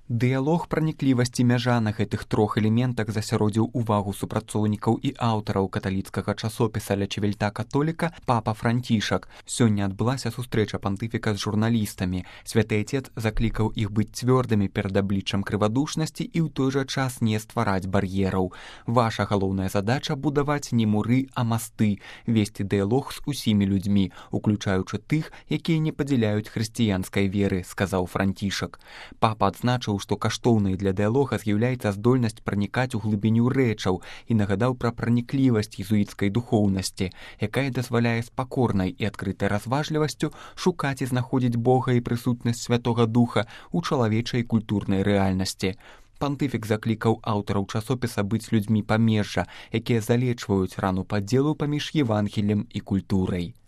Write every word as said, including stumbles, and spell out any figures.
Дыялог праніклівасці мяжа на гэтых трох элементах засяродзіў увагу супрацоўнікаў і аўтараў каталіцкага часопіса «Ля Чевельта католіка» папа Францішак. Сёння адбылася сустрэча пантыфіка з журналістамі. Святы Отец заклікаў іх быць цвёрдымі перад абліччам крывадушнасці і ў той жа час не ствараць бар'ераў. Ваша галоўная задача – будаваць не муры, а масты, весці дыялог з усімі людзьмі, уключаючы тых, якія не падзяляюць хрысціянскай веры, сказаў Францішак. Папа адзначыў, што каштоўнай для дыялога з'яўляецца здольнасць пранікаць у глыбіню рэчаў і нагадаў пра праніклівасць езуіцкай духоўнасці, якая дазваляе з пакорнай і адкрытай разважлівасцю шукаць і знаходзіць Бога і прысутнасць Святога Духа ў чалавечай культурнай рэальнасці. Пантыфік заклікаў аўтараў часопіса быць людзьмі памежжа, якія залечваюць рану падзелу паміж Евангеллем і культурай.